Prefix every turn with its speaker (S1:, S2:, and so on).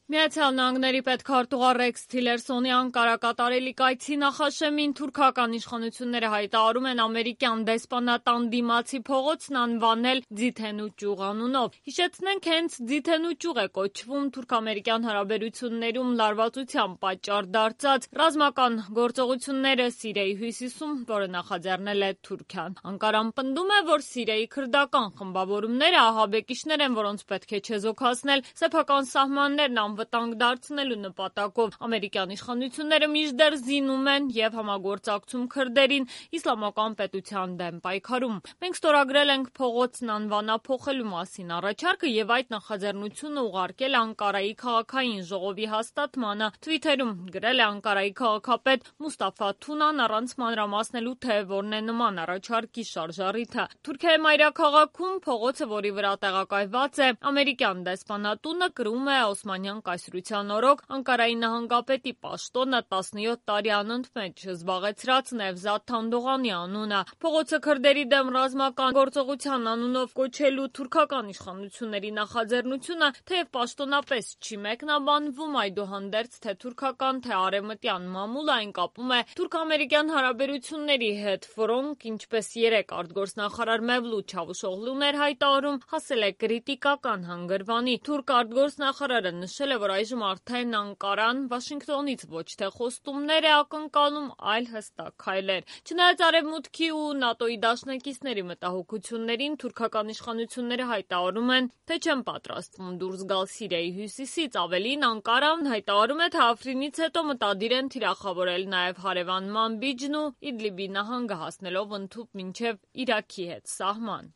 S1: Միացյալ Նահանգների պետքարտուղար Ռեքս Թիլերսոնի Անկարա կատարելի կայցի նախաշեմին թուրքական իշխանությունները հայտարարում են ամերիկյան դեսպանատան դիմացի փողոցն անվանել Ձիթենու ճյուղ անունով։ Հիշեցնենք, հենց Ձիթենու ճյուղ է կոչվում թուրք-ամերիկյան հարաբերություններում լարվածության պատճառ դարձած ռազմական գործողությունները Սիրիայի հյուսիսում, որը նախաձեռնել է Թուրքիան։ Անկարան պնդում է, որ Սիրիայի քրդական խմբավորումները ահաբեկիչներ են, որոնց պետք է չեզոքացնել սեփական սահմաններն վտանգ դարձնելու նպատակով։ Ամերիկյան իշխանությունները մինչդեռ զինում են եւ համագործակցում քրդերին իսլամական պետության դեմ պայքարում։ Մենք ստորագրել ենք փողոցն անվանափոխելու մասին առաջարկը եւ այդ նախաձեռնությունը ուղարկել Անկարայի քաղաքային ժողովի հաստատմանը։ Թվիթերում գրել է Անկարայի քաղաքապետ Մուստաֆա Թունան առանց մանրամասնելու, թե որն է նման առաջարկի շարժառիթը։ Թուրքիայի մայրաքաղաքում փողոցը, որի վրա տեղակայված է ամերիկյան դեսպանատունը, կրում է Օսմանյան կայսրության օրոք Անկարայի նահանգապետի պաշտոնը 17 տարի անընդմեջ զբաղեցրած Նևզաթ Թանդողանի անունը։ Փողոցը քրդերի դեմ ռազմական գործողության անունով կոչելու թուրքական իշխանությունների նախաձեռնությունը թեև պաշտոնապես չի մեկնաբանվում, այդուհանդերձ թե թուրքական, թե արևմտյան մամուլը այն կապում է թուրք-ամերիկյան հարաբերությունների հետ, որոնք, ինչպես երեկ արտգործնախարար Մևլութ Չավուշօղլուն էր հայտարարում, հասել է կրիտիկական հանգրվանի։ Թուրք արտգործնախարարը նշել է, որ այժմ արդեն Անկարան Վաշինգտոնից ոչ թե խոստումներ է ակնկալում, այլ հստակ քայլեր։ Չնայած Արևմուտքի ու ՆԱՏՕ-ի դաշնակիցների մտահոգություններին, թուրքական իշխանությունները հայտարարում են, թե չեն պատրաստվում դուրս գալ Սիրիայի հյուսիսից։ Ավելին, Անկարան հայտարարում է, թե Աֆրինից հետո մտադիր են թիրախավորել նաև հարևան Մանբիջն ու Իդլիբի նահանգը, հասնելով ընդհուպ մինչև Իրաքի հետ սահման։